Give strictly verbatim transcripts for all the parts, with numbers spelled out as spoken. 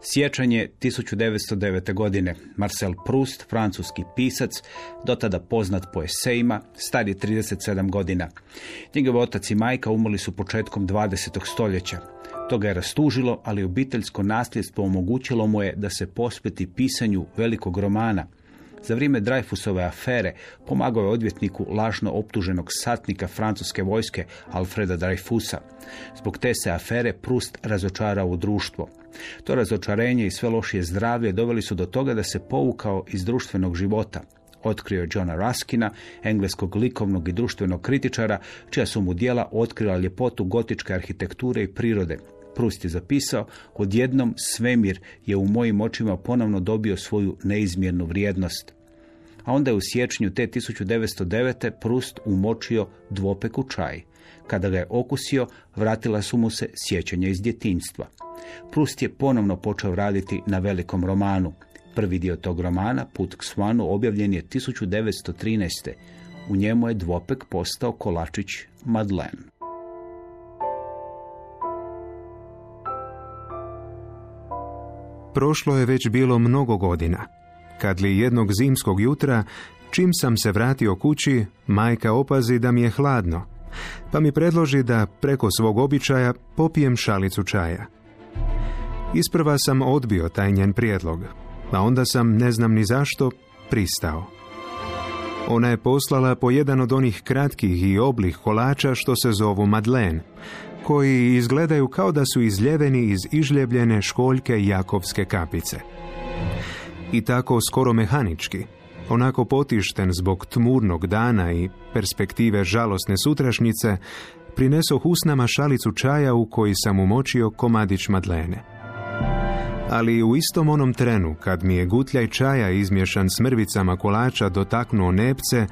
Siječanj je tisuću devetsto devete. godine. Marcel Proust, francuski pisac, dotada poznat po esejima, star je trideset sedam godina. Njegov otac i majka umrli su početkom dvadesetog stoljeća. To ga je rastužilo, ali obiteljsko nasljedstvo omogućilo mu je da se posveti pisanju velikog romana. Za vrijeme Dreyfusove afere pomagao je odvjetniku lažno optuženog satnika francuske vojske Alfreda Dreyfusa. Zbog te se afere Proust razočarao u društvo. To razočarenje i sve lošije zdravlje doveli su do toga da se povukao iz društvenog života. Otkrio je Johna Ruskina, engleskog likovnog i društvenog kritičara, čija su mu djela otkrila ljepotu gotičke arhitekture i prirode. Proust je zapisao, odjednom svemir je u mojim očima ponovno dobio svoju neizmjernu vrijednost. A onda je u siječnju te tisuću devetsto devete. Proust umočio dvopek u čaj. Kada ga je okusio, vratila su mu se sjećanja iz djetinjstva. Proust je ponovno počeo raditi na velikom romanu. Prvi dio tog romana, Put k Svanu, objavljen je tisuću devetsto trinaeste. U njemu je dvopek postao kolačić Madeleine. Prošlo je već bilo mnogo godina, kad li jednog zimskog jutra, čim sam se vratio kući, majka opazi da mi je hladno, pa mi predloži da preko svog običaja popijem šalicu čaja. Isprva sam odbio taj njen prijedlog, a onda sam, ne znam ni zašto, pristao. Ona je poslala po jedan od onih kratkih i oblih kolača što se zovu Madeleine, koji izgledaju kao da su izljeveni iz ižljebljene školjke jakovske kapice. I tako skoro mehanički, onako potišten zbog tmurnog dana i perspektive žalosne sutrašnjice, prinesoh usnama šalicu čaja u koji sam umočio komadić Madeleine. Ali u istom onom trenu, kad mi je gutljaj čaja izmješan s mrvicama kolača dotaknuo nepce,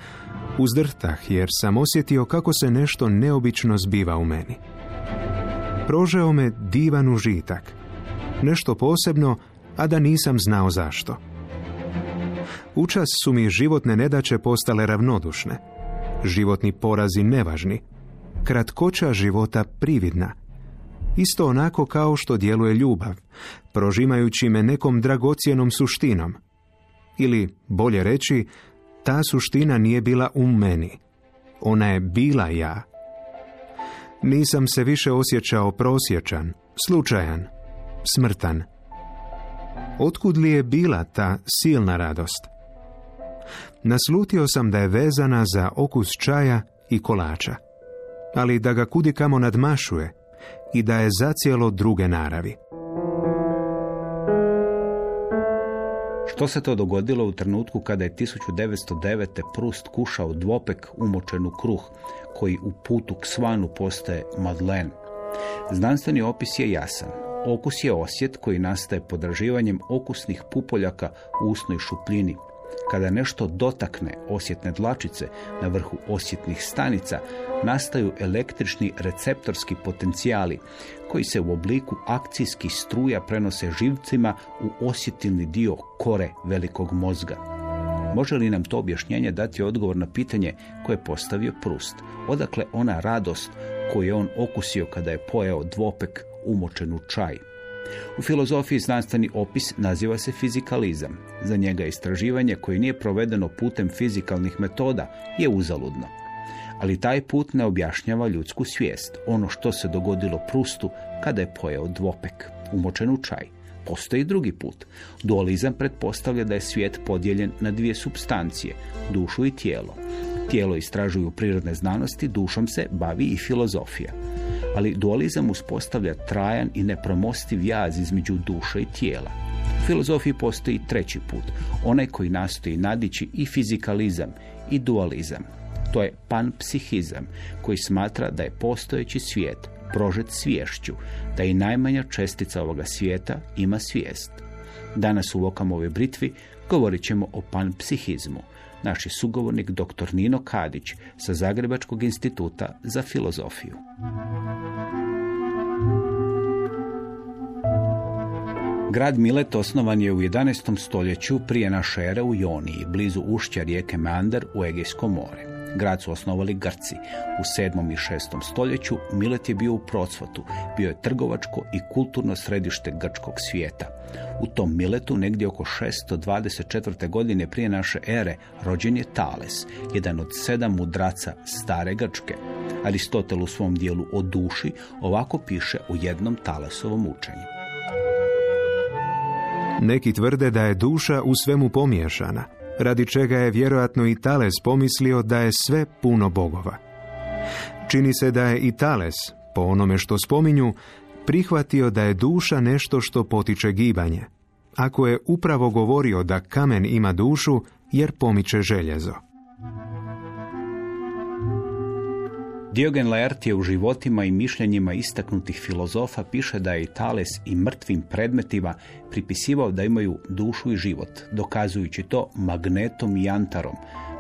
uzdrhtah jer sam osjetio kako se nešto neobično zbiva u meni. Prožeo me divan užitak. Nešto posebno, a da nisam znao zašto. Učas su mi životne nedaće postale ravnodušne, životni porazi nevažni, kratkoća života prividna. Isto onako kao što djeluje ljubav, prožimajući me nekom dragocjenom suštinom. Ili, bolje reći, ta suština nije bila u meni. Ona je bila ja. Nisam se više osjećao prosječan, slučajan, smrtan. Otkud li je bila ta silna radost? Naslutio sam da je vezana za okus čaja i kolača, ali da ga kudikamo nadmašuje i da je zacijelo druge naravi. Što se to dogodilo u trenutku kada je tisuću devetsto devete. Proust kušao dvopek umočen u kruh, koji u Putu k Svanu postaje Madeleine? Znanstveni opis je jasan. Okus je osjet koji nastaje podraživanjem okusnih pupoljaka u usnoj šupljini. Kada nešto dotakne osjetne dlačice na vrhu osjetnih stanica, nastaju električni receptorski potencijali koji se u obliku akcijskih struja prenose živcima u osjetilni dio kore velikog mozga. Može li nam to objašnjenje dati odgovor na pitanje koje je postavio Proust? Odakle ona radost koju je on okusio kada je pojeo dvopek umočen u čaj? U filozofiji znanstveni opis naziva se fizikalizam. Za njega istraživanje koje nije provedeno putem fizikalnih metoda je uzaludno. Ali taj put ne objašnjava ljudsku svijest, ono što se dogodilo Proustu kada je pojeo dvopek umočen u čaj. Postoji drugi put. Dualizam pretpostavlja da je svijet podijeljen na dvije supstancije, dušu i tijelo. Tijelo istražuju prirodne znanosti, dušom se bavi i filozofija. Ali dualizam uspostavlja trajan i nepremostiv jaz između duše i tijela. U filozofiji postoji treći put, onaj koji nastoji nadići i fizikalizam i dualizam. To je panpsihizam, koji smatra da je postojeći svijet prožet sviješću, da i najmanja čestica ovoga svijeta ima svijest. Danas u Vokamovoj britvi govorit ćemo o panpsihizmu. Naš je sugovornik doktor Nino Kadić sa Zagrebačkog instituta za filozofiju. Grad Milet osnovan je u jedanaestom stoljeću prije naše ere u Joniji, blizu ušća rijeke Meander u Egejsko more. Grad su osnovali Grci. U sedmom i šestom stoljeću Milet je bio u procvatu. Bio je trgovačko i kulturno središte grčkog svijeta. U tom Miletu, negdje oko šesto dvadeset četvrte godine prije naše ere, rođen je Tales, jedan od sedam mudraca stare Grčke. Aristotel u svom dijelu o duši ovako piše u jednom Talesovom učenju. Neki tvrde da je duša u svemu pomiješana, radi čega je vjerojatno i Tales pomislio da je sve puno bogova. Čini se da je i Tales, po onome što spominju, prihvatio da je duša nešto što potiče gibanje, ako je upravo govorio da kamen ima dušu jer pomiče željezo. Diogen Laertije u životima i mišljenjima istaknutih filozofa piše da je i Tales i mrtvim predmetima pripisivao da imaju dušu i život, dokazujući to magnetom i jantarom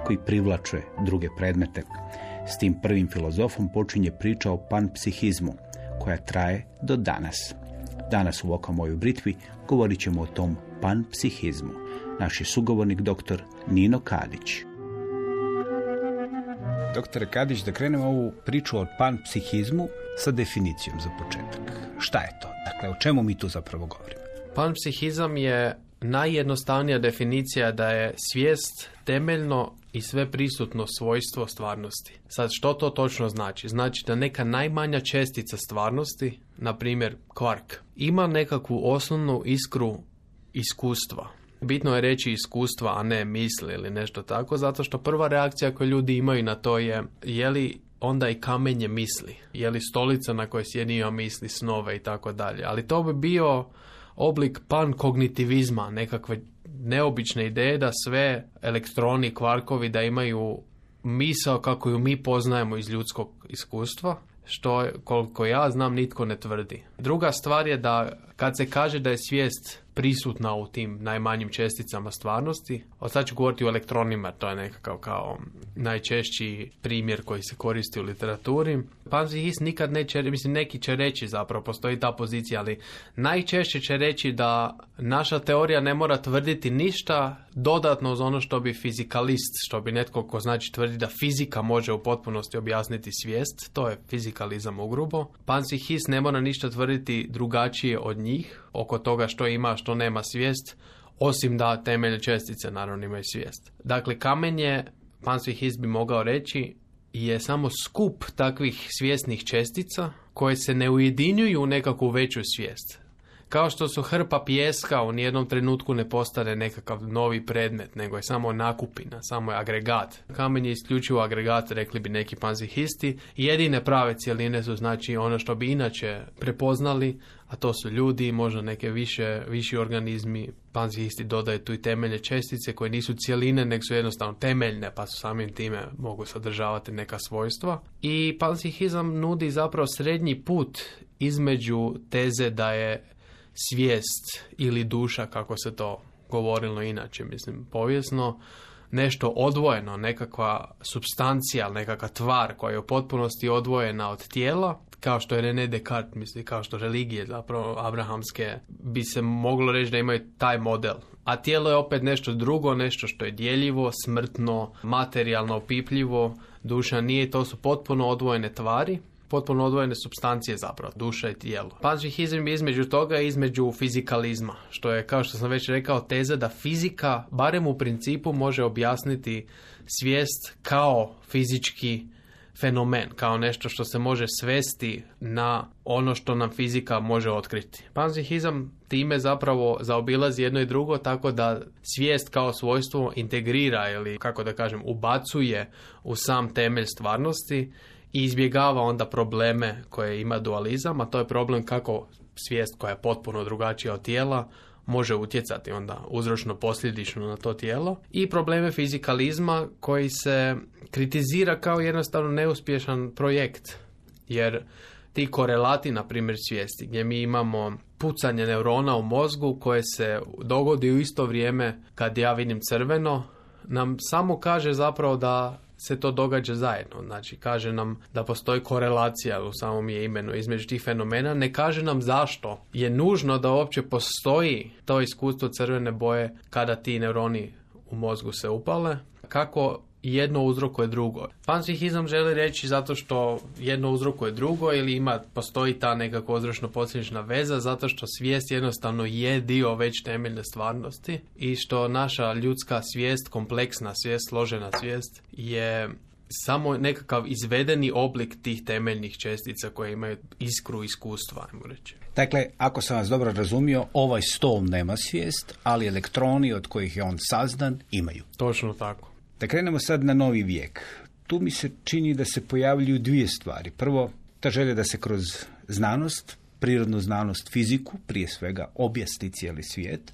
koji privlače druge predmete. S tim prvim filozofom počinje priča o panpsihizmu, koja traje do danas. Danas u Oka moj u Britvi govorit ćemo o tom panpsihizmu. Naš je sugovornik doktor Nino Kadić. Doktore Kadić, da krenemo ovu priču o panpsihizmu sa definicijom za početak. Šta je to? Dakle, o čemu mi tu zapravo govorimo? Panpsihizam je najjednostavnija definicija da je svijest temeljno i sve prisutno svojstvo stvarnosti. Sad, što to točno znači? Znači da neka najmanja čestica stvarnosti, na primjer kvark, ima nekakvu osnovnu iskru iskustva. Bitno je reći iskustva, a ne misli ili nešto tako, zato što prva reakcija koju ljudi imaju na to je je li onda i kamenje misli, je li stolica na kojoj sjedi ima misli, snove i tako dalje. Ali to bi bio oblik pankognitivizma, nekakve neobične ideje da sve elektroni, kvarkovi da imaju misao kako ju mi poznajemo iz ljudskog iskustva, što koliko ja znam nitko ne tvrdi. Druga stvar je da kad se kaže da je svijest prisutna u tim najmanjim česticama stvarnosti, od sad ću govoriti o elektronima, to je nekakav kao najčešći primjer koji se koristi u literaturi. Panpsihist nikad neće, mislim neki će reći zapravo, postoji ta pozicija, ali najčešće će reći da naša teorija ne mora tvrditi ništa dodatno uz ono što bi fizikalist, što bi netko ko znači tvrdi da fizika može u potpunosti objasniti svijest, to je fizikalizam ugrubo. Panpsihist ne mora ništa tvrditi drugačije od njih oko toga što ima, što nema svijest, osim da temeljne čestice naravno imaju svijest. Dakle, kamenje, panpsihist bi mogao reći, je samo skup takvih svjesnih čestica koje se ne ujedinjuju u nekakvu veću svijest. Kao što su hrpa pijeska u nijednom trenutku ne postane nekakav novi predmet, nego je samo nakupina, samo je agregat. Kamen je isključivo agregat, rekli bi neki panpsihisti. Jedine prave cjeline su znači ono što bi inače prepoznali, a to su ljudi, možda neke više, viši organizmi. Panpsihisti dodaju tu i temeljne čestice koje nisu cjeline, nego su jednostavno temeljne, pa su samim time mogu sadržavati neka svojstva. I panpsihizam nudi zapravo srednji put između teze da je svijest ili duša, kako se to govorilo inače, mislim, povijesno, nešto odvojeno, nekakva supstancija, nekakva tvar koja je u potpunosti odvojena od tijela, kao što je René Descartes, misli, kao što religije, zapravo abrahamske, bi se moglo reći da imaju taj model. A tijelo je opet nešto drugo, nešto što je djeljivo, smrtno, materijalno, opipljivo. Duša nije, to su potpuno odvojene tvari, potpuno odvojene supstancije zapravo, duša i tijelo. Panpsihizam je između toga i između fizikalizma, što je, kao što sam već rekao, teza da fizika, barem u principu, može objasniti svijest kao fizički fenomen, kao nešto što se može svesti na ono što nam fizika može otkriti. Panpsihizam time zapravo zaobilazi jedno i drugo, tako da svijest kao svojstvo integrira ili, kako da kažem, ubacuje u sam temelj stvarnosti i izbjegava onda probleme koje ima dualizam, a to je problem kako svijest koja je potpuno drugačija od tijela može utjecati onda uzročno posljedično na to tijelo, i probleme fizikalizma koji se kritizira kao jednostavno neuspješan projekt, jer ti korelati, na primjer svijesti, gdje mi imamo pucanje neurona u mozgu koje se dogodi u isto vrijeme kad ja vidim crveno, nam samo kaže zapravo da se to događa zajedno. Znači, kaže nam da postoji korelacija u samom je imenu između tih fenomena. Ne kaže nam zašto je nužno da uopće postoji to iskustvo crvene boje kada ti neuroni u mozgu se upale. Kako jedno uzrokuje drugo. Panpsihizam želi reći zato što jedno uzrokuje drugo ili ima, postoji ta nekako uzročno-posljedična veza zato što svijest jednostavno je dio već temeljne stvarnosti i što naša ljudska svijest, kompleksna svijest, složena svijest je samo nekakav izvedeni oblik tih temeljnih čestica koje imaju iskru iskustva, ajmo reći. Dakle, ako sam vas dobro razumio, ovaj stol nema svijest, ali elektroni od kojih je on sazdan imaju. Točno tako. Da krenemo sad na novi vijek. Tu mi se čini da se pojavljuju dvije stvari. Prvo, ta želja da se kroz znanost, prirodnu znanost, fiziku, prije svega, objasni cijeli svijet.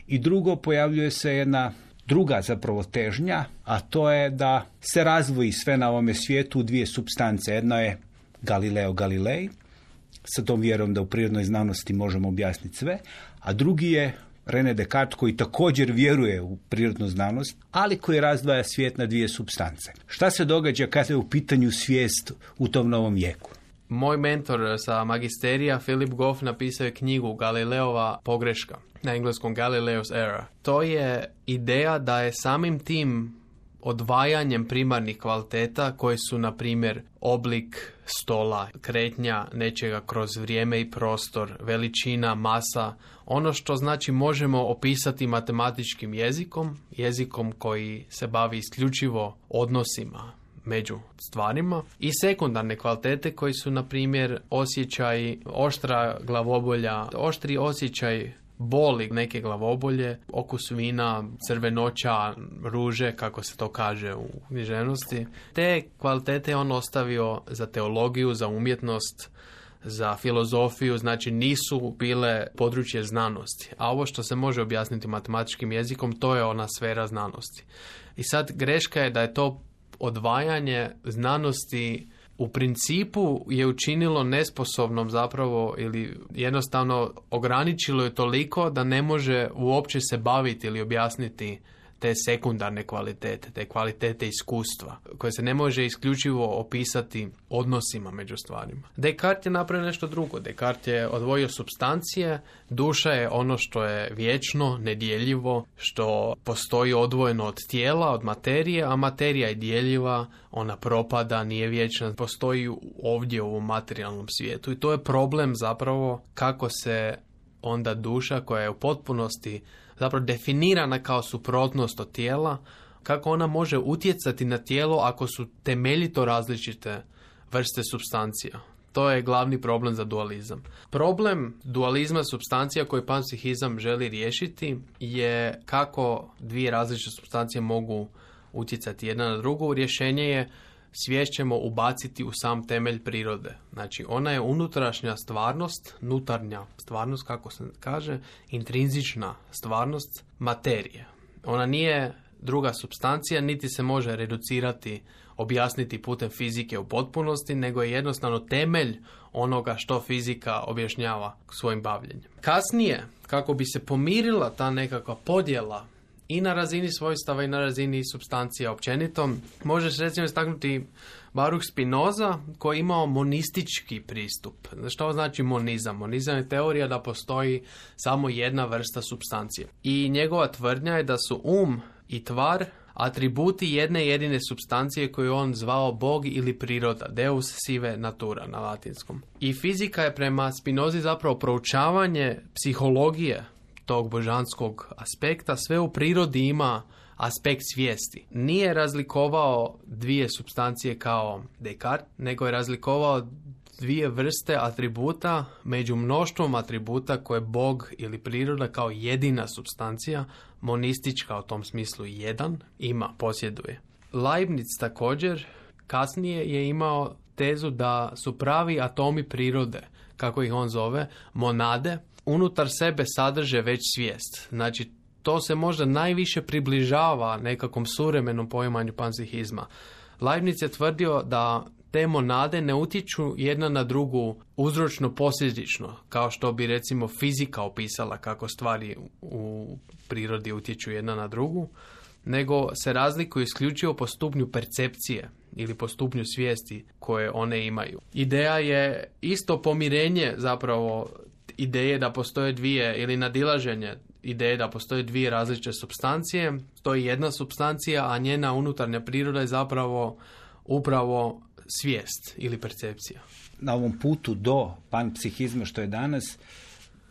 I drugo, pojavljuje se jedna druga zapravo težnja, a to je da se razvoji sve na ovome svijetu u dvije supstance. Jedna je Galileo Galilei, sa tom vjerom da u prirodnoj znanosti možemo objasniti sve, a drugi je René Descartes koji također vjeruje u prirodnu znanost, ali koji razdvaja svijet na dvije supstance. Šta se događa kada je u pitanju svijest u tom novom vijeku? Moj mentor sa magisterija, Philip Goff, napisao je knjigu Galileova pogreška, na engleskom Galileo's Error. To je ideja da je samim tim odvajanjem primarnih kvaliteta koji su, na primjer, oblik stola, kretnja nečega kroz vrijeme i prostor, veličina, masa, ono što znači možemo opisati matematičkim jezikom, jezikom koji se bavi isključivo odnosima među stvarima, i sekundarne kvalitete koji su, na primjer, osjećaj, oštra glavobolja, oštri osjećaj boli neke glavobolje, okus vina, crvenoća, ruže, kako se to kaže u književnosti. Te kvalitete on ostavio za teologiju, za umjetnost, za filozofiju, znači nisu bile područje znanosti. A ovo što se može objasniti matematičkim jezikom, to je ona sfera znanosti. I sad greška je da je to odvajanje znanosti u principu je učinilo nesposobnom zapravo ili jednostavno ograničilo je toliko da ne može uopće se baviti ili objasniti te sekundarne kvalitete, te kvalitete iskustva, koje se ne može isključivo opisati odnosima među stvarima. Descartes je napravio nešto drugo. Descartes je odvojio supstancije, duša je ono što je vječno, nedjeljivo, što postoji odvojeno od tijela, od materije, a materija je djeljiva, ona propada, nije vječna, postoji ovdje u ovom materijalnom svijetu. I to je problem zapravo kako se onda duša koja je u potpunosti zapravo definirana kao suprotnost od tijela, kako ona može utjecati na tijelo ako su temeljito različite vrste supstancija. To je glavni problem za dualizam. Problem dualizma supstancija koji panpsihizam želi riješiti je kako dvije različite supstancije mogu utjecati jedna na drugu. Rješenje je svijest ćemo ubaciti u sam temelj prirode. Znači, ona je unutrašnja stvarnost, nutarnja stvarnost, kako se kaže, intrinzična stvarnost materije. Ona nije druga supstancija, niti se može reducirati, objasniti putem fizike u potpunosti, nego je jednostavno temelj onoga što fizika objašnjava svojim bavljenjem. Kasnije, kako bi se pomirila ta nekakva podjela i na razini svojstava i na razini supstancija općenito, možeš recimo istaknuti Baruch Spinoza koji je imao monistički pristup. Što znači monizam? Monizam je teorija da postoji samo jedna vrsta supstancije. I njegova tvrdnja je da su um i tvar atributi jedne jedine supstancije koju on zvao Bog ili priroda, Deus sive natura na latinskom. I fizika je prema Spinozi zapravo proučavanje psihologije tog božanskog aspekta. Sve u prirodi ima aspekt svijesti. Nije razlikovao dvije supstancije kao Descartes, nego je razlikovao dvije vrste atributa među mnoštvom atributa koje Bog ili priroda kao jedina supstancija, monistička u tom smislu jedan, ima, posjeduje. Leibniz također kasnije je imao tezu da su pravi atomi prirode, kako ih on zove, monade, unutar sebe sadrže već svijest. Znači, to se možda najviše približava nekakvom suvremenom poimanju panpsihizma. Leibniz je tvrdio da te monade ne utječu jedna na drugu uzročno posljedično, kao što bi recimo fizika opisala kako stvari u prirodi utječu jedna na drugu, nego se razlikuju isključivo po stupnju percepcije ili po stupnju svijesti koje one imaju. Ideja je isto pomirenje zapravo ideje da postoje dvije ili nadilaženje ideje da postoje dvije različite supstancije. To je jedna supstancija, a njena unutarnja priroda je zapravo upravo svijest ili percepcija. Na ovom putu do panpsihizma što je danas,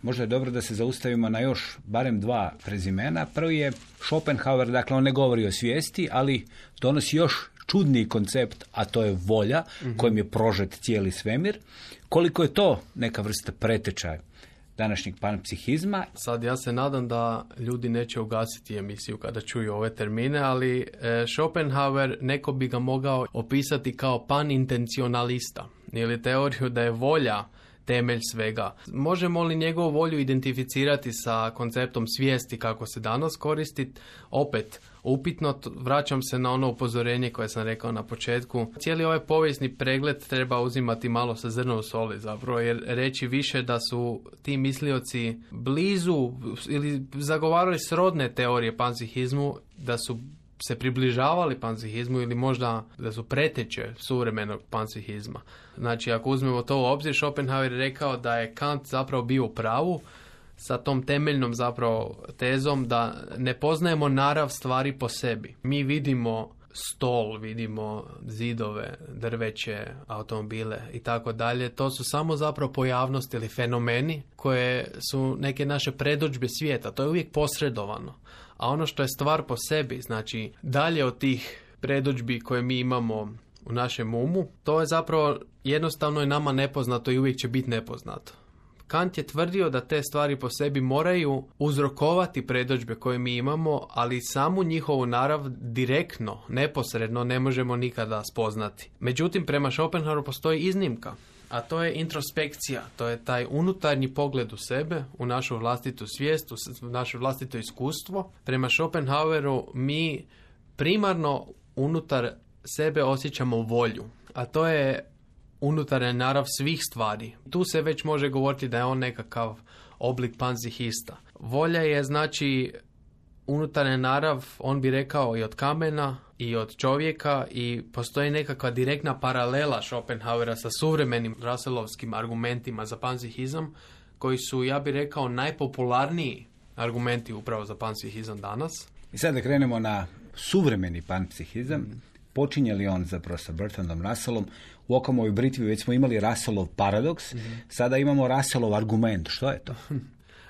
možda je dobro da se zaustavimo na još barem dva prezimena. Prvi je Schopenhauer, dakle on ne govori o svijesti, ali donosi još čudniji koncept, a to je volja, mm-hmm. kojim je prožet cijeli svemir. Koliko je to neka vrsta pretečaja današnjeg panpsihizma? Sad ja se nadam da ljudi neće ugasiti emisiju kada čuju ove termine, ali e, Schopenhauer neko bi ga mogao opisati kao panintencionalista, ili teoriju da je volja temelj svega. Možemo li njegovu volju identificirati sa konceptom svijesti kako se danas koristi? Opet, upitno, vraćam se na ono upozorenje koje sam rekao na početku. Cijeli ovaj povijesni pregled treba uzimati malo sa zrnom soli zapravo, jer reći više da su ti mislioci blizu ili zagovarali srodne teorije panpsihizmu, da su se približavali panpsihizmu ili možda da su preteče suvremenog panpsihizma. Znači, ako uzmemo to u obzir, Schopenhauer je rekao da je Kant zapravo bio u pravu sa tom temeljnom zapravo tezom da ne poznajemo narav stvari po sebi. Mi vidimo stol, vidimo zidove, drveće, automobile i tako dalje. To su samo zapravo pojavnosti ili fenomeni koje su neke naše predodžbe svijeta. To je uvijek posredovano. A ono što je stvar po sebi, znači dalje od tih predodžbi koje mi imamo u našem umu, to je zapravo jednostavno je nama nepoznato i uvijek će biti nepoznato. Kant je tvrdio da te stvari po sebi moraju uzrokovati predodžbe koje mi imamo, ali samu njihovu narav direktno, neposredno ne možemo nikada spoznati. Međutim, prema Schopenhaueru postoji iznimka, a to je introspekcija, to je taj unutarnji pogled u sebe, u našu vlastitu svijest, u naše vlastito iskustvo. Prema Schopenhaueru mi primarno unutar sebe osjećamo volju, a to je unutarnja narav svih stvari. Tu se već može govoriti da je on nekakav oblik panpsihista. Volja je znači unutarnja narav, on bi rekao i od kamena i od čovjeka, i postoji nekakva direktna paralela Schopenhauera sa suvremenim Russellovskim argumentima za panpsihizam, koji su, ja bih rekao, najpopularniji argumenti upravo za panpsihizam danas. I sad da krenemo na suvremeni panpsihizam. Mm. Počinje li on zapravo sa Bertrandom Russellom? U Okamovoj britvi već smo imali Russellov paradoks, mm-hmm. sada imamo Russellov argument. Što je to?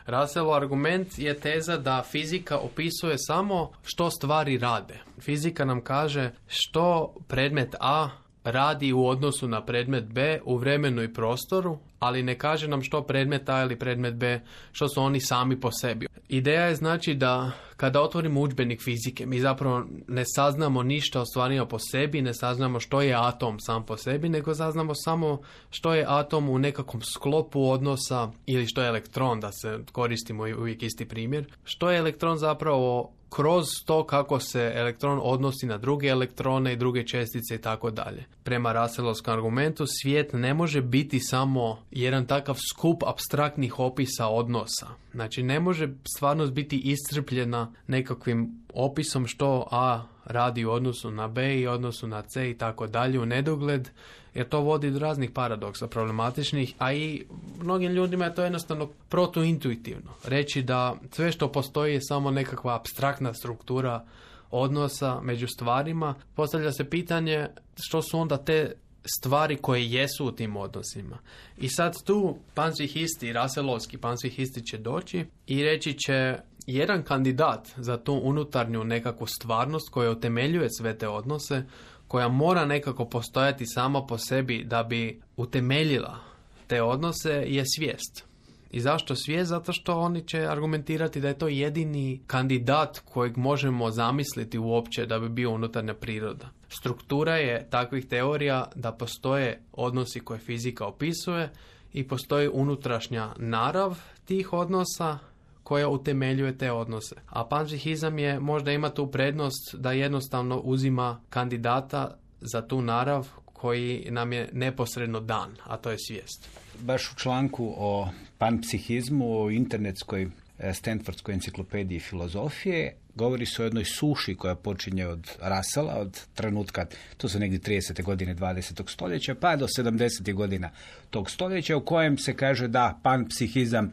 Russellov argument je teza da fizika opisuje samo što stvari rade. Fizika nam kaže što predmet A radi u odnosu na predmet B u vremenu i prostoru, ali ne kaže nam što predmet A ili predmet B, što su oni sami po sebi. Ideja je znači da kada otvorimo udžbenik fizike, mi zapravo ne saznamo ništa o stvarima po sebi, ne saznamo što je atom sam po sebi, nego saznamo samo što je atom u nekakvom sklopu odnosa, ili što je elektron, da se koristimo uvijek isti primjer. Što je elektron zapravo kroz to kako se elektron odnosi na druge elektrone i druge čestice i tako dalje. Prema Russellovskom argumentu svijet ne može biti samo jedan takav skup apstraktnih opisa odnosa. Znači ne može stvarnost biti iscrpljena nekakvim opisom što A radi u odnosu na B i odnosu na C i tako dalje u nedogled, jer to vodi do raznih paradoksa problematičnih, a i mnogim ljudima je to jednostavno protuintuitivno. Reći da sve što postoji je samo nekakva apstraktna struktura odnosa među stvarima. Postavlja se pitanje što su onda te stvari koje jesu u tim odnosima. I sad tu panpsihisti, Russellovski panpsihisti će doći i reći će jedan kandidat za tu unutarnju nekakvu stvarnost koja utemeljuje sve te odnose, koja mora nekako postojati sama po sebi da bi utemeljila te odnose, je svijest. I zašto svijest? Zato što oni će argumentirati da je to jedini kandidat kojeg možemo zamisliti uopće da bi bio unutarnja priroda. Struktura je takvih teorija da postoje odnosi koje fizika opisuje i postoji unutrašnja narav tih odnosa koja utemeljuje te odnose. A panpsihizam je možda ima tu prednost da jednostavno uzima kandidata za tu narav koji nam je neposredno dan, a to je svijest. Baš u članku o panpsihizmu, o internetskoj Stanfordskoj enciklopediji filozofije, govori se o jednoj suši koja počinje od Russella, od trenutka, to su negdje tridesete godine dvadesetog stoljeća, pa do sedamdesetih godina tog stoljeća, u kojem se kaže da panpsihizam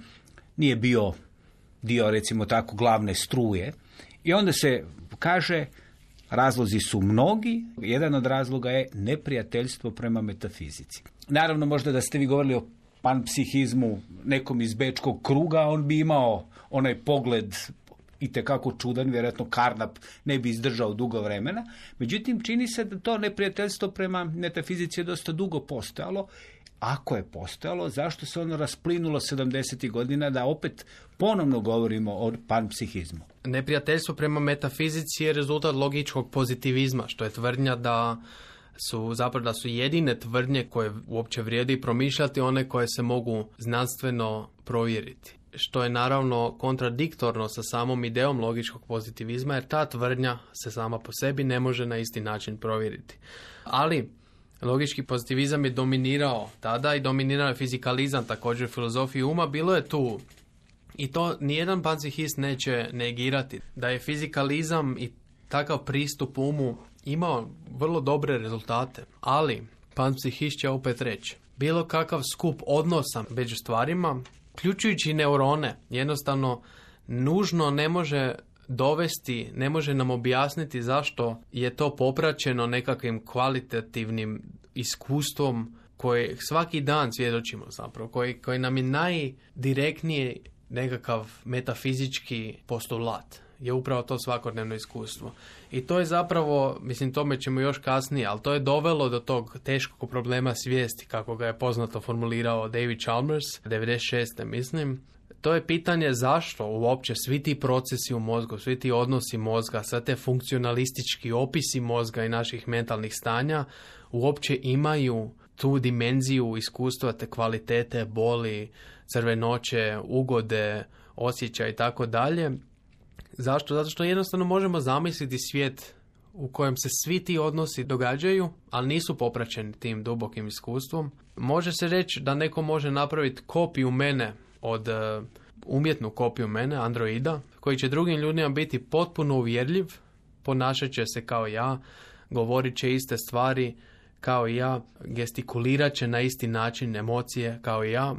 nije bio dio, recimo tako, glavne struje. I onda se kaže, razlozi su mnogi, jedan od razloga je neprijateljstvo prema metafizici. Naravno, možda da ste vi govorili o panpsihizmu nekom iz bečkog kruga, on bi imao onaj pogled itekako čudan, vjerojatno Carnap ne bi izdržao dugo vremena. Međutim, čini se da to neprijateljstvo prema metafizici je dosta dugo postojalo. Ako je postojalo, zašto se ono rasplinulo sedamdesetih godina da opet ponovno govorimo o panpsihizmu? Neprijateljstvo prema metafizici je rezultat logičkog pozitivizma, što je tvrdnja da su zapravo da su jedine tvrdnje koje uopće vrijedi promišljati one koje se mogu znanstveno provjeriti. Što je naravno kontradiktorno sa samom ideom logičkog pozitivizma, jer ta tvrdnja se sama po sebi ne može na isti način provjeriti. Ali logički pozitivizam je dominirao tada i dominirao je fizikalizam, također filozofiju uma. Bilo je tu, i to nijedan panpsihist neće negirati, da je fizikalizam i takav pristup umu imao vrlo dobre rezultate. Ali panpsihist će opet reći, bilo kakav skup odnosa među stvarima, uključujući neurone, jednostavno nužno ne može dovesti, ne može nam objasniti zašto je to popraćeno nekakvim kvalitativnim iskustvom koje svaki dan svjedočimo zapravo, koji, koji nam je najdirektniji nekakav metafizički postulat. Je upravo to svakodnevno iskustvo. I to je zapravo, mislim, tome ćemo još kasnije, ali to je dovelo do tog teškog problema svijesti, kako ga je poznato formulirao David Chalmers, devedeset šeste mislim. To je pitanje zašto uopće svi ti procesi u mozgu, svi ti odnosi mozga, sve te funkcionalistički opisi mozga i naših mentalnih stanja uopće imaju tu dimenziju iskustva, te kvalitete, boli, crvenoće, ugode, osjećaj i tako dalje. Zašto? Zato što jednostavno možemo zamisliti svijet u kojem se svi ti odnosi događaju, ali nisu popraćeni tim dubokim iskustvom. Može se reći da neko može napraviti kopiju mene od uh, umjetnu kopiju mene, androida, koji će drugim ljudima biti potpuno uvjerljiv, ponašat će se kao ja, govorit će iste stvari kao i ja, gestikulirat će na isti način emocije kao i ja,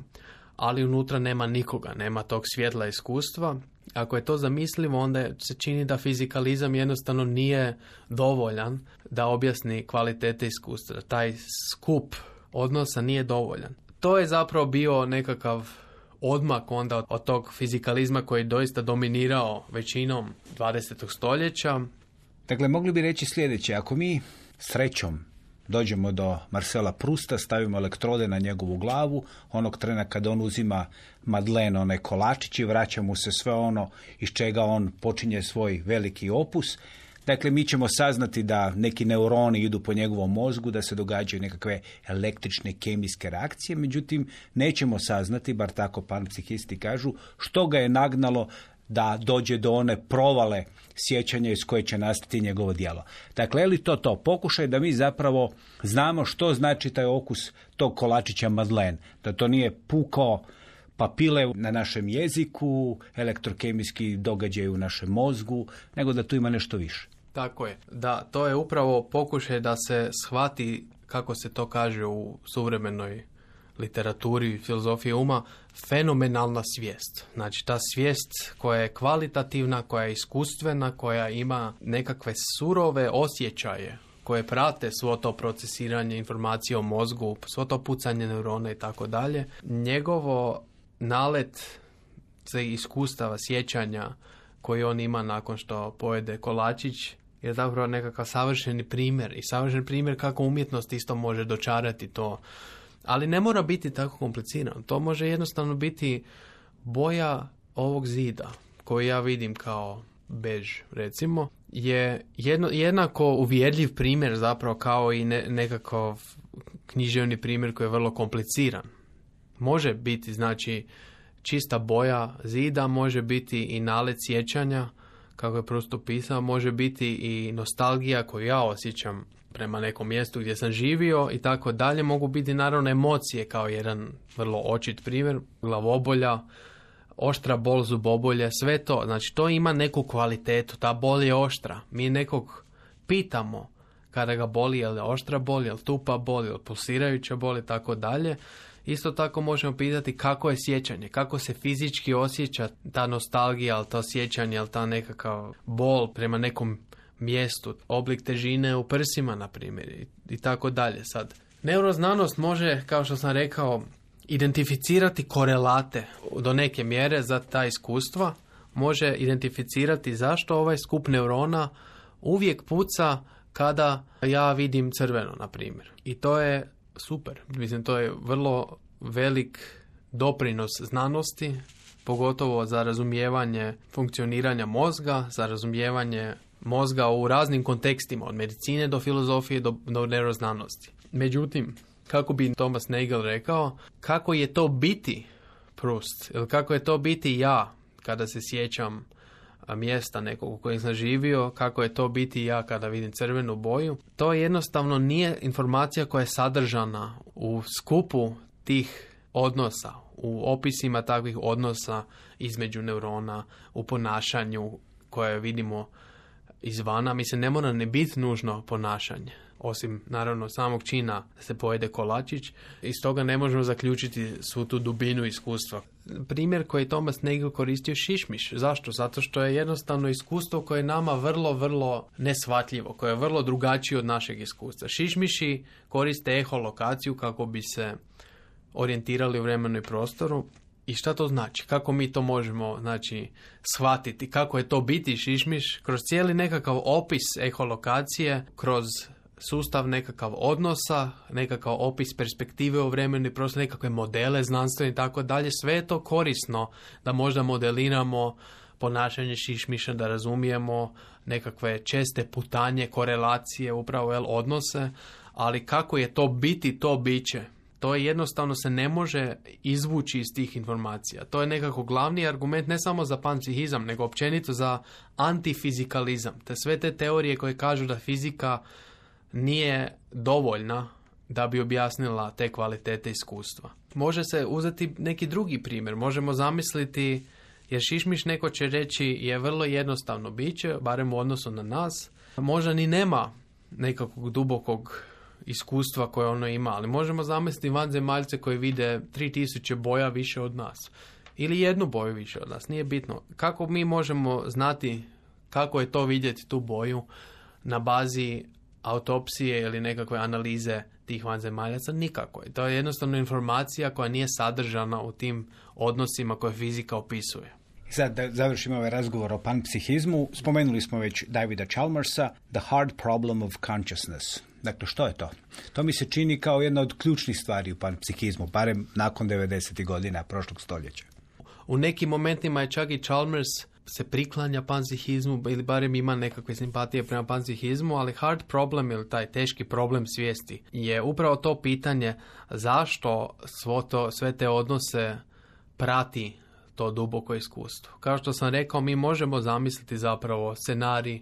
ali unutra nema nikoga, nema tog svjetla iskustva. Ako je to zamislivo, onda se čini da fizikalizam jednostavno nije dovoljan da objasni kvalitete iskustva. Taj skup odnosa nije dovoljan. To je zapravo bio nekakav odmak onda od tog fizikalizma koji je doista dominirao većinom dvadesetog stoljeća. Dakle, mogli bi reći sljedeće. Ako mi srećom dođemo do Marcela Prousta, stavimo elektrode na njegovu glavu, onog trena kada on uzima Madeleine, onaj kolačić, i vraća mu se sve ono iz čega on počinje svoj veliki opus. Dakle, mi ćemo saznati da neki neuroni idu po njegovom mozgu, da se događaju nekakve električne kemijske reakcije, međutim, nećemo saznati, bar tako panpsihisti kažu, što ga je nagnalo da dođe do one provale sjećanja iz koje će nastati njegovo djelo. Dakle, je li to to? Pokušaj da mi zapravo znamo što znači taj okus tog kolačića Madeleine. Da to nije puko papile na našem jeziku, elektrokemijski događaj u našem mozgu, nego da tu ima nešto više. Tako je. Da, to je upravo pokušaj da se shvati, kako se to kaže u suvremenoj literaturi, filozofiji uma, fenomenalna svijest. Znači, ta svijest koja je kvalitativna, koja je iskustvena, koja ima nekakve surove osjećaje koje prate svo to procesiranje informacije o mozgu, svo to pucanje neurona i tako dalje. Njegovo nalet za iskustava, sjećanja koji on ima nakon što pojede kolačić je zapravo nekakav savršeni primjer i savršen primjer kako umjetnost isto može dočarati to. Ali ne mora biti tako komplicirano. To može jednostavno biti boja ovog zida koji ja vidim kao bež, recimo, je jedno, jednako uvjerljiv primjer zapravo kao i ne, nekakav književni primjer koji je vrlo kompliciran. Može biti, znači, čista boja zida, može biti i nalet sjećanja, kako je Proust opisao, može biti i nostalgija koju ja osjećam prema nekom mjestu gdje sam živio i tako dalje. Mogu biti naravno emocije kao jedan vrlo očit primjer, glavobolja, oštra bol zubobolje, sve to. Znači, to ima neku kvalitetu, ta bol je oštra. Mi nekog pitamo kada ga boli, je li oštra bol, je li tupa bol, je li pulsirajuća bol i tako dalje. Isto tako možemo pitati kako je sjećanje, kako se fizički osjeća ta nostalgija, ali to sjećanje, ali ta nekakav bol prema nekom mjestu, oblik težine u prsima, na primjer, i, i tako dalje. Sad, neuroznanost može, kao što sam rekao, identificirati korelate do neke mjere za ta iskustva, može identificirati zašto ovaj skup neurona uvijek puca kada ja vidim crveno, na primjer. I to je super. Mislim, to je vrlo velik doprinos znanosti, pogotovo za razumijevanje funkcioniranja mozga, za razumijevanje mozga u raznim kontekstima, od medicine do filozofije do, do neuroznanosti. Međutim, kako bi Thomas Nagel rekao, kako je to biti Proust, ili kako je to biti ja kada se sjećam mjesta nekog u kojem sam živio, kako je to biti ja kada vidim crvenu boju, to jednostavno nije informacija koja je sadržana u skupu tih odnosa, u opisima takvih odnosa između neurona, u ponašanju koje vidimo izvana. Mislim, ne mora ne biti nužno ponašanje, osim naravno samog čina da se pojede kolačić. Iz toga ne možemo zaključiti svu tu dubinu iskustva. Primjer koji je Thomas Nagel koristio, šišmiš. Zašto? Zato što je jednostavno iskustvo koje je nama vrlo, vrlo neshvatljivo, koje je vrlo drugačije od našeg iskustva. Šišmiši koriste eholokaciju kako bi se orijentirali u vremenu i prostoru. I šta to znači? Kako mi to možemo, znači, shvatiti? Kako je to biti šišmiš? Kroz cijeli nekakav opis eholokacije, kroz sustav nekakav odnosa, nekakav opis perspektive u vremenu i prostoru, nekakve modele znanstvene i tako dalje. Sve je to korisno da možda modeliramo ponašanje šišmiša, da razumijemo nekakve česte putanje, korelacije, upravo jel, odnose, ali kako je to biti, to biće. To je jednostavno se ne može izvući iz tih informacija. To je nekako glavni argument ne samo za panpsihizam, nego općenito za antifizikalizam. Te sve te teorije koje kažu da fizika nije dovoljna da bi objasnila te kvalitete iskustva. Može se uzeti neki drugi primjer. Možemo zamisliti, jer šišmiš, neko će reći, je vrlo jednostavno biće, barem u odnosu na nas. Možda ni nema nekakvog dubokog iskustva koje ono ima, ali možemo zamisliti vanzemaljce koji vide tri tisuće boja više od nas. Ili jednu boju više od nas, nije bitno. Kako mi možemo znati kako je to vidjeti tu boju na bazi autopsije ili nekakve analize tih vanzemaljaca? Nikako. To je jednostavno informacija koja nije sadržana u tim odnosima koje fizika opisuje. Sad da završimo ovaj razgovor o panpsihizmu, spomenuli smo već Davida Chalmersa, The Hard Problem of Consciousness. Dakle, što je to? To mi se čini kao jedna od ključnih stvari u panpsihizmu, barem nakon devedesetih godina prošlog stoljeća. U nekim momentima je čak i Chalmers se priklanja panpsihizmu ili barem ima nekakve simpatije prema panpsihizmu, ali hard problem ili taj teški problem svijesti je upravo to pitanje zašto svo to, sve te odnose prati to duboko iskustvo. Kao što sam rekao, mi možemo zamisliti zapravo scenarij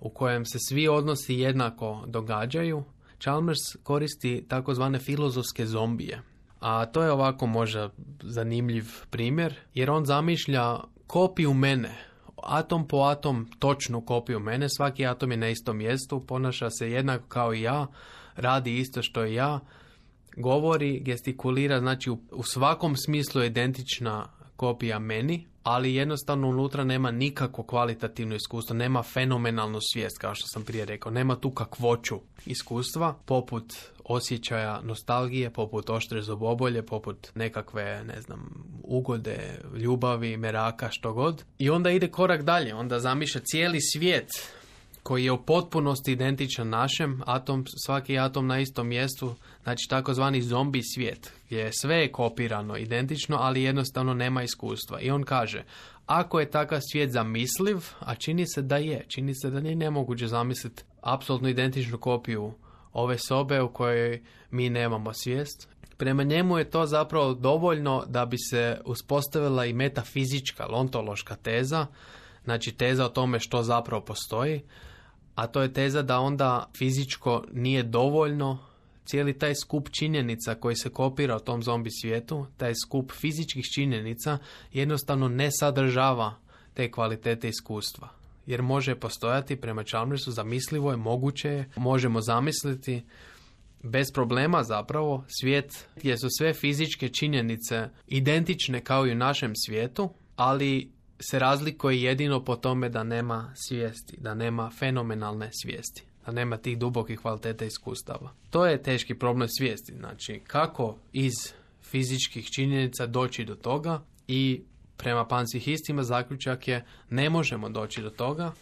u kojem se svi odnosi jednako događaju. Chalmers koristi takozvane filozofske zombije. A to je ovako možda zanimljiv primjer, jer on zamišlja kopiju mene, atom po atom točnu kopiju mene, svaki atom je na istom mjestu, ponaša se jednako kao i ja, radi isto što i ja, govori, gestikulira, znači u, u svakom smislu je identična kopija meni, ali jednostavno unutra nema nikakvo kvalitativno iskustvo, nema fenomenalnu svijest, kao što sam prije rekao, nema tu kakvoću iskustva, poput osjećaja nostalgije, poput oštre zubobolje, poput nekakve, ne znam, ugode, ljubavi, meraka, što god. I onda ide korak dalje, onda zamišlja cijeli svijet koji je u potpunosti identičan našem, atom, svaki atom na istom mjestu, znači takozvani zombi svijet, gdje sve je kopirano, identično, ali jednostavno nema iskustva. I on kaže, ako je takav svijet zamisliv, a čini se da je, čini se da nije nemoguće zamisliti apsolutno identičnu kopiju ove sobe u kojoj mi nemamo svijest, prema njemu je to zapravo dovoljno da bi se uspostavila i metafizička, ontološka teza, znači teza o tome što zapravo postoji, a to je teza da onda fizičko nije dovoljno, cijeli taj skup činjenica koji se kopira u tom zombi svijetu, taj skup fizičkih činjenica jednostavno ne sadržava te kvalitete iskustva. jer može postojati prema Chalmersu, zamislivo je, moguće je, možemo zamisliti bez problema zapravo svijet gdje su sve fizičke činjenice identične kao i u našem svijetu, ali se razlikuje jedino po tome da nema svijesti, da nema fenomenalne svijesti, da nema tih dubokih kvaliteta iskustava. To je teški problem svijesti, znači kako iz fizičkih činjenica doći do toga i prema panpsihistima zaključak je ne možemo doći do toga,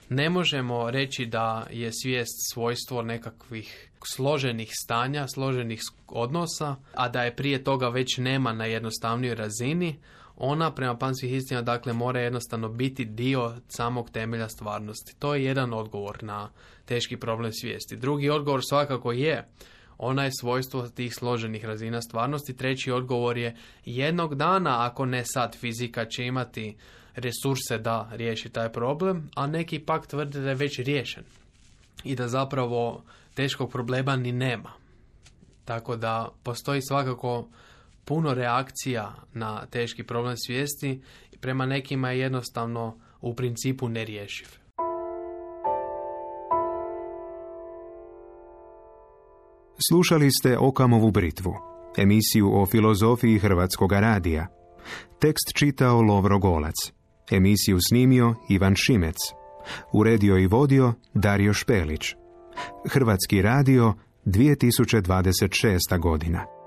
ne možemo reći da je svijest svojstvo nekakvih složenih stanja, složenih odnosa, a da je prije toga već nema na jednostavnijoj razini. Ona prema panpsihistima dakle mora jednostavno biti dio samog temelja stvarnosti. To je jedan odgovor na teški problem svijesti. Drugi odgovor svakako je ona je svojstvo tih složenih razina stvarnosti. Treći odgovor je jednog dana, ako ne sad, fizika će imati resurse da riješi taj problem, a neki pak tvrde da je već riješen i da zapravo teškog problema ni nema. Tako da postoji svakako puno reakcija na teški problem svijesti i prema nekima je jednostavno u principu nerješiv. Slušali ste Okamovu britvu, emisiju o filozofiji Hrvatskog radija. Tekst čitao Lovro Golac, emisiju snimio Ivan Šimec, uredio i vodio Dario Špelić. Hrvatski radio, dvije tisuće dvadeset šesta godina.